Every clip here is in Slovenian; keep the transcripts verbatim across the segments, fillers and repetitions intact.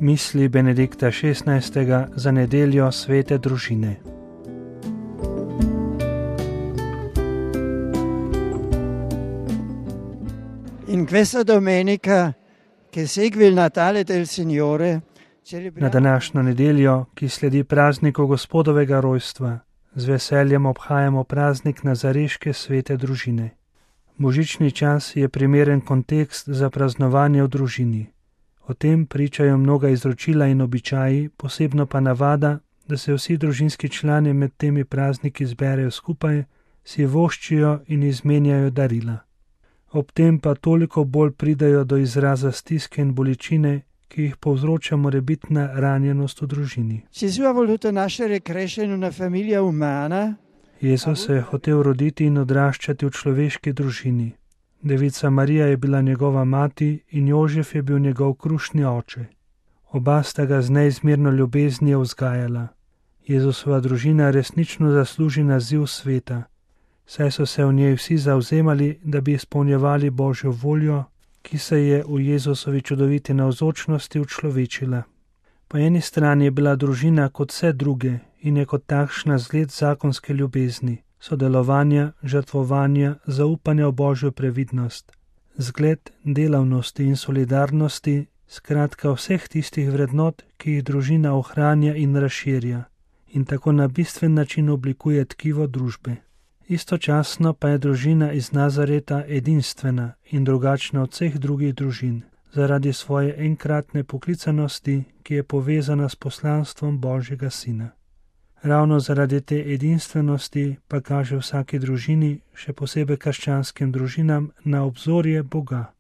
Misli Benedikta šestnajstega za nedeljo svete družine. In questa domenica che segue il Natale del Signore, Na današnjo nedeljo, ki sledi prazniku Gospodovega rojstva, z veseljem obhajamo praznik Nazareške svete družine. Božični čas je primeren kontekst za praznovanje v družini. O tem pričajo mnoga izročila in običaji, posebno pa navada, da se vsi družinski člani med temi prazniki zberejo skupaj, si voščijo in izmenjajo darila. Ob tem pa toliko bolj pridajo do izraza stiske in bolečine, ki jih povzroča morebitna ranjenost v družini. Gesù ha voluto nascere e crescere in una famiglia umana. Jezus se je hotel roditi in odraščati v človeški družini. Devica Marija je bila njegova mati in Jožef je bil njegov krušni oče. Oba sta ga z neizmerno ljubeznijo vzgajala. Jezusova družina resnično zasluži naziv sveta, saj so se v njej vsi zavzemali, da bi izpolnjevali Božjo voljo, ki se je v Jezusovi čudoviti navzočnosti učlovečila. Po eni strani je bila družina kot vse druge in je kot takšna zgled zakonske ljubezni, sodelovanja, žrtvovanja, zaupanja v Božjo previdnost, zgled delavnosti in solidarnosti, skratka vseh tistih vrednot, ki jih družina ohranja in razširja in tako na bistven način oblikuje tkivo družbe. Istočasno pa je družina iz Nazareta edinstvena in drugačna od vseh drugih družin, zaradi svoje enkratne poklicanosti, ki je povezana s poslanstvom Božjega Sina. Ravno zaradi te edinstvenosti pa kaže vsaki družini, še posebej krščanskim družinam, na obzorje Boga,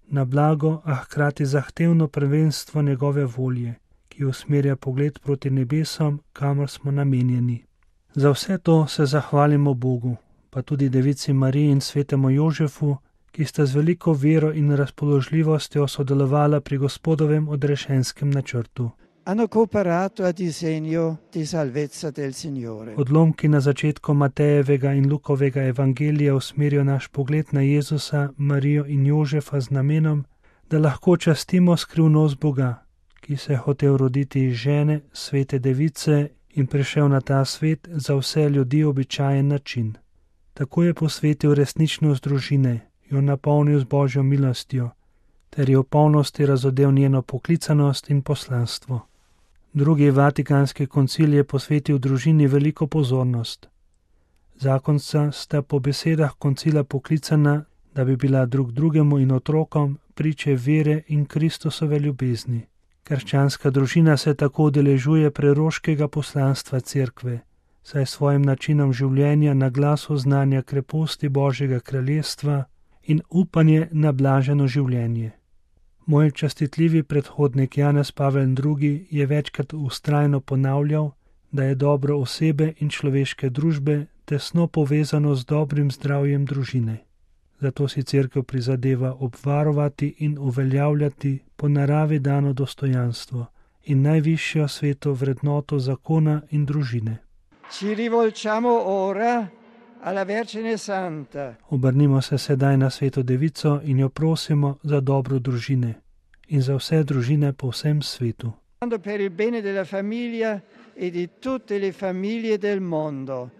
na blago, a hkrati zahtevno prvenstvo njegove volje, ki usmerja pogled proti nebesom, kamor smo namenjeni. Za vse to se zahvalimo Bogu, pa tudi Devici Mariji in svetemu Jožefu, ki sta z veliko vero in razpoložljivostjo sodelovala pri Gospodovem odrešenskem načrtu. Hanno cooperato a disegno di salvezza del Signore. Odlomki na začetku Matejevega in Lukovega evangelija usmerijo naš pogled na Jezusa, Marijo in Jožefa z namenom, da lahko častimo skrivnost Boga, ki se je hotel roditi iz žene, svete device in prišel na ta svet za vse ljudi običajen način. Tako je posvetil resničnost družine, jo napolnil z Božjo milostjo, ter je v polnosti razodel njeno poklicanost in poslanstvo. Drugi vatikanski koncil je posvetil družini veliko pozornost. Zakonca sta po besedah koncila poklicana, da bi bila drug drugemu in otrokom priče vere in Kristusove ljubezni. Krščanska družina se tako udeležuje preroškega poslanstva cerkve, saj svojim načinom življenja na glas oznanja kreposti Božjega kraljestva in upanje na blaženo življenje. Moj častitljivi predhodnik Janez Pavel drugi je večkrat vztrajno ponavljal, da je dobro osebe in človeške družbe tesno povezano z dobrim zdravjem družine. Zato si cerkev prizadeva obvarovati in uveljavljati po naravi dano dostojanstvo in najvišjo sveto vrednoto zakona in družine. Ci rivolgiamo ora alla Vergine Santa. Obrnimo se sedaj na sveto devico in jo prosimo za dobro družine in za vse družine po vsem svetu. Per il bene della famiglia e di tutte le famiglie del mondo.